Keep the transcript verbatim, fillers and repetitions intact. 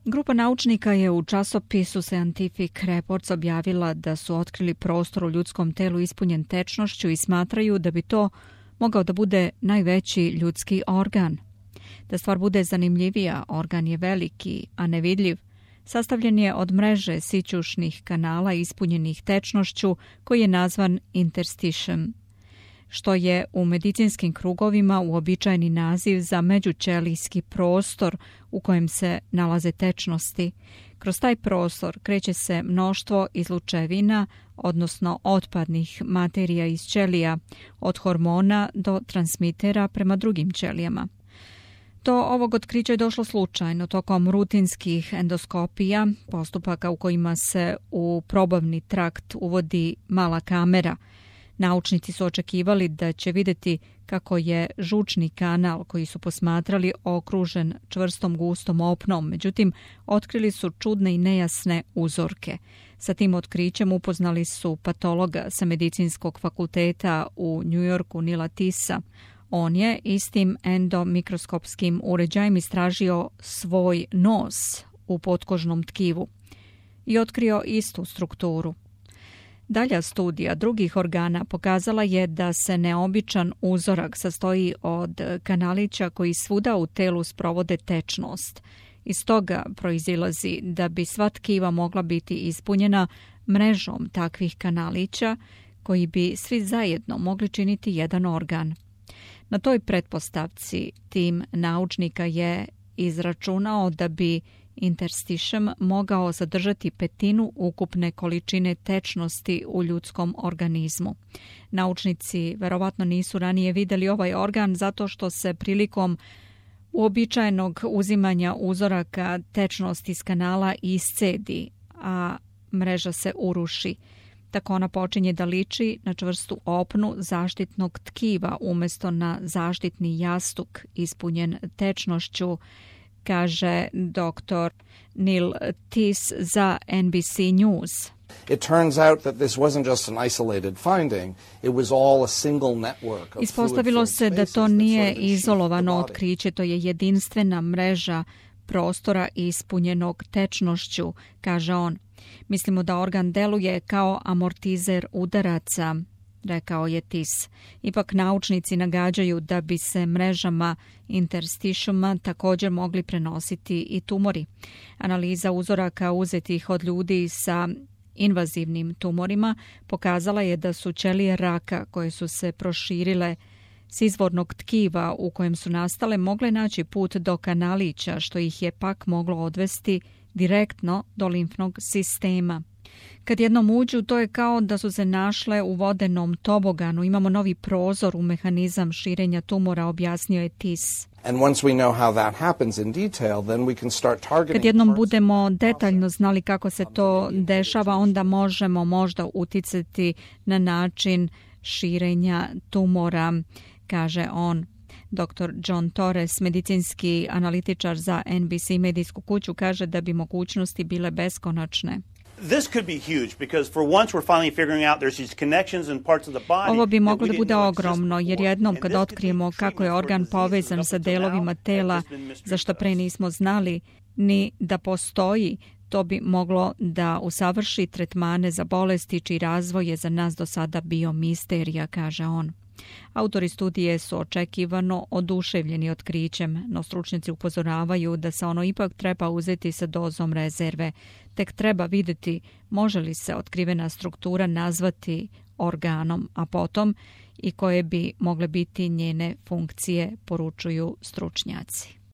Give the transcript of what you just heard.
Grupa naučnika je u časopisu Scientific Reports objavila da su otkrili prostor u ljudskom telu ispunjen tečnošću i smatraju da bi to mogao da bude najveći ljudski organ. Da stvar bude zanimljivija, organ je veliki, a nevidljiv. Sastavljen je od mreže sićušnih kanala ispunjenih tečnošću koji je nazvan interstitium, što je u medicinskim krugovima uobičajeni naziv za međućelijski prostor u kojem se nalaze tečnosti. Kroz taj prostor kreće se mnoštvo izlučevina, odnosno otpadnih materija iz ćelija, od hormona do transmitera prema drugim ćelijama. Do ovog otkrića je došlo slučajno tokom rutinskih endoskopija, postupaka u kojima se u probavni trakt uvodi mala kamera. Naučnici su očekivali da će vidjeti kako je žučni kanal koji su posmatrali okružen čvrstom gustom opnom, međutim otkrili su čudne i nejasne uzorke. Sa tim otkrićem upoznali su patologa sa medicinskog fakulteta u New Yorku Nila Tisa. On je istim endomikroskopskim uređajem istražio svoj nos u potkožnom tkivu i otkrio istu strukturu. Dalja studija drugih organa pokazala je da se neobičan uzorak sastoji od kanalića koji svuda u telu sprovode tečnost. Iz toga proizilazi da bi sva tkiva mogla biti ispunjena mrežom takvih kanalića koji bi svi zajedno mogli činiti jedan organ. Na toj pretpostavci tim naučnika je izračunao da bi interstitium mogao zadržati petinu ukupne količine tečnosti u ljudskom organizmu. Naučnici verovatno nisu ranije vidjeli ovaj organ zato što se prilikom uobičajenog uzimanja uzoraka tečnost iz kanala iscedi, a mreža se uruši. Tako ona počinje da liči na čvrstu opnu zaštitnog tkiva umjesto na zaštitni jastuk ispunjen tečnošću, kaže doktor Neil Tis za N B C News. It turns out that this wasn't just an isolated finding, it was all a single network of Ispostavilo se da to nije izolovano otkriće, to je jedinstvena mreža prostora ispunjenog tečnošću, kaže on. Mislimo da organ deluje kao amortizer udaraca, rekao je Tis. Ipak naučnici nagađaju da bi se mrežama interstitiuma također mogli prenositi i tumori. Analiza uzoraka uzetih od ljudi sa invazivnim tumorima pokazala je da su ćelije raka koje su se proširile s izvornog tkiva u kojem su nastale mogle naći put do kanalića, što ih je pak moglo odvesti direktno do limfnog sistema. Kad jednom uđu, to je kao da su se našle u vodenom toboganu. Imamo novi prozor u mehanizam širenja tumora, objasnio je Tis. Kad jednom budemo detaljno znali kako se to dešava, onda možemo možda uticati na način širenja tumora, kaže on. doktor John Torres, medicinski analitičar za N B C medijsku kuću, kaže da bi mogućnosti bile beskonačne. Ovo bi moglo da bude ogromno, jer jednom kad otkrijemo kako je organ povezan sa delovima tela za što pre nismo znali ni da postoji, to bi moglo da usavrši tretmane za bolesti čiji razvoj je za nas do sada bio misterija, kaže on. Autori studije su očekivano oduševljeni otkrićem, no stručnjaci upozoravaju da se ono ipak treba uzeti sa dozom rezerve. Tek treba vidjeti može li se otkrivena struktura nazvati organom, a potom i koje bi mogle biti njene funkcije, poručuju stručnjaci.